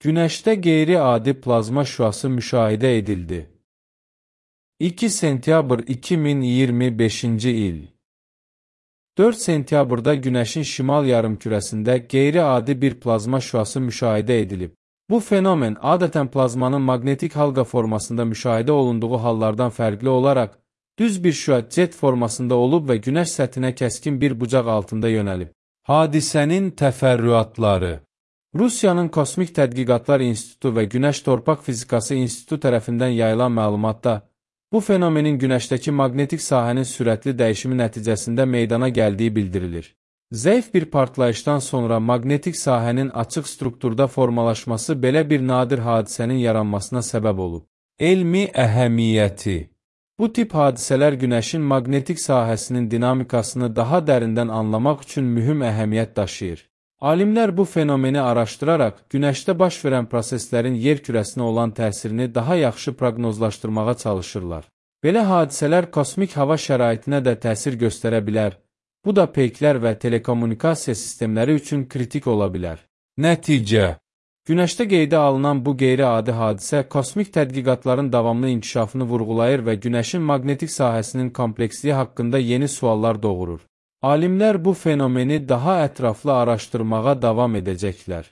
Günəşdə qeyri-adi plazma şüası müşahidə edildi. 2 sentyabr 2025-ci il 4 sentyabrda Günəşin şimal yarımkürəsində qeyri-adi bir plazma şüası müşahidə edilib. Bu fenomen adətən plazmanın maqnetik halqa formasında müşahidə olunduğu hallardan fərqli olaraq, düz bir şüa jet formasında olub və Günəş səthinə kəskin bir bucaq altında yönəlib. Hadisənin təfərrüatları Rusiyanın Kosmik Tədqiqatlar İnstitutu və Günəş Torpaq Fizikası İnstitutu tərəfindən yayılan məlumatda, bu fenomenin Günəşdəki maqnetik sahənin sürətli dəyişimi nəticəsində meydana gəldiyi bildirilir. Zəif bir partlayışdan sonra maqnetik sahənin açıq strukturda formalaşması belə bir nadir hadisənin yaranmasına səbəb olub. Elmi əhəmiyyəti Bu tip hadisələr Günəşin maqnetik sahəsinin dinamikasını daha dərindən anlamaq üçün mühüm əhəmiyyət daşıyır. Alimlər bu fenomeni araşdıraraq, Günəşdə baş verən proseslərin yer kürəsinə olan təsirini daha yaxşı proqnozlaşdırmağa çalışırlar. Belə hadisələr kosmik hava şəraitinə də təsir göstərə bilər. Bu da peyklər və telekommunikasiya sistemləri üçün kritik ola bilər. Nəticə Günəşdə qeydə alınan bu qeyri-adi hadisə kosmik tədqiqatların davamlı inkişafını vurğulayır və Günəşin maqnetik sahəsinin kompleksliyi haqqında yeni suallar doğurur. Alimlər bu fenomeni daha ətraflı araşdırmağa davam edəcəklər.